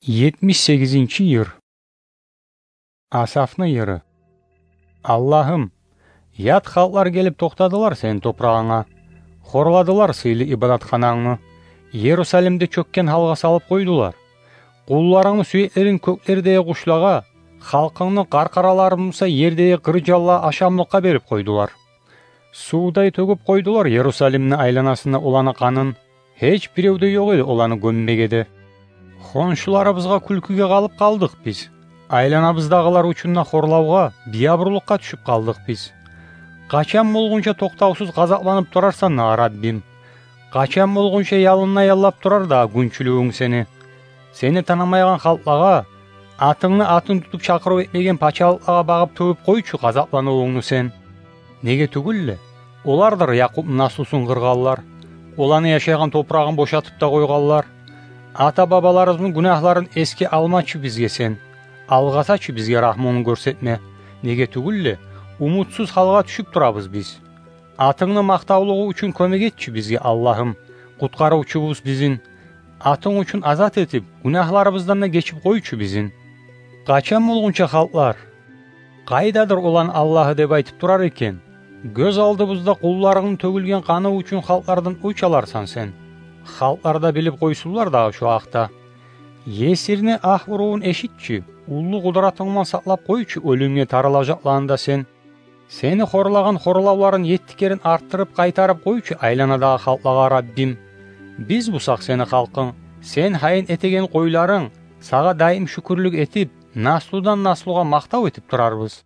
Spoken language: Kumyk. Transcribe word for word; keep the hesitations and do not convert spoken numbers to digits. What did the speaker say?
Етмиш сегизинчи йыр. Асафны йыры. Аллагьым, ят халкълар гелип токътадылар сени топурагъынга, хорладылар сыйлы ибадатханангны, Ерусалимни чёкген гьалгъа салып къойдулар. Къулларынгны сюеклерин кёклердеги къушлагъа, халкъынгны къаркъараларын буса ердеги къыр жанлагъа ашамлыкъгъа берип къойдулар. Сувдай тёгюп къойдулар Ерусалимни айланасында оланы къанын. Гьеч бирев де ёкъ эди оланы гёммеге де. Хоншуларыбызгъа кюлкюге къалып къалдыкъ биз. Айланабыздагъылар учун да хорлавгъа, биябурлукъгъа тюшюп къалдыкъ биз. Къачан болгъунча токътавсуз гъазапланып турарсан дагъы, Раббим? Къачан болгъунча ялынлай яллап турар дагъы гюнчюлюгюнг сени? Сени танымайгъан халкълагъа, атынгны атын тутуп чакъырыв этмеген пачалыкълагъа багъып тёгюп къойчу гъазапланывунгну сен. Неге тюгюл де, олардыр Якъубну наслусун къыргъанлар, оланы яшайгъан топурагъын бошатып да къойгъанлар. Ата-бабаларыбызны гюнагьларын эсге алмачы бизге сен, алгъасачы бизге рагьмунгну гёрсетме. Неге тюгюл де, умутсуз гьалгъа тюшюп турабыз биз. Атынгны макътавлугъу учун кёмек этчи бизге, Аллагьым, къутгъарывчубуз бизин. Атынг учун азат этип, гюнагьларыбыздан да гечип къойчу бизин. Къачан болгъунча халкълар: «Къайдадыр оланы Аллагьы?» — деп айтып турар экен, гёз алдыбызда къулларынгны тёгюлген къаны учун халкълардан оьч аларсан сен. Халкълар да билип къойсунлар дагъы шо гьакъда. Есирни агь урувун эшитчи, уллу къудратынгман сакълап къойчу оьлюмге тарылажакъланы да сен. Сени хорлагъан хорлавларын етти керен артдырып къайтарып къойчу айланадагъы халкълагъа, Раббим. Биз бусакъ сени халкъынг, сен гьайын этеген къойларынг, сагъа даим шюкюрлюк этип, наслудан наслугъа макътав этип турарбыз.